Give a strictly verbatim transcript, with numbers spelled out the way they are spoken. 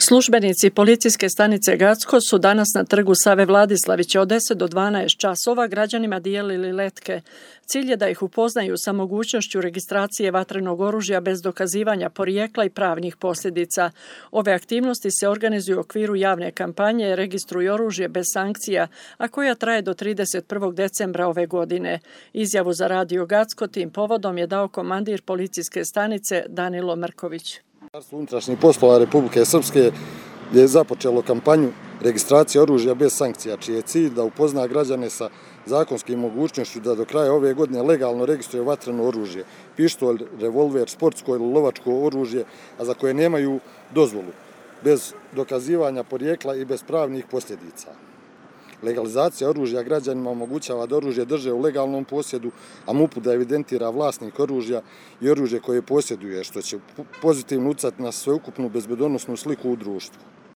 Službenici policijske stanice Gacko su danas na trgu Save Vladislavića od deset do dvanaest časova građanima dijelili letke. Cilj je da ih upoznaju sa mogućnošću registracije vatrenog oružja bez dokazivanja porijekla i pravnih posljedica. Ove aktivnosti se organizuju u okviru javne kampanje Registruj oružje bez sankcija, a koja traje do trideset prvog decembra ove godine. Izjavu za Radio Gacko tim povodom je dao komandir policijske stanice Danilo Mrković. Ministarstvo unutrašnjih poslova Republike Srpske je započelo kampanju registracije oružja bez sankcija, čiji je cilj da upozna građane sa zakonskim mogućnošću da do kraja ove godine legalno registruju vatreno oružje, pištolj, revolver, sportsko ili lovačko oružje, a za koje nemaju dozvolu, bez dokazivanja porijekla i bez pravnih posljedica. Legalizacija oružja građanima omogućava da oružje drže u legalnom posjedu, a MUP-u da evidentira vlasnik oružja i oružje koje posjeduje, što će pozitivno utjecati na sveukupnu bezbednosnu sliku u društvu.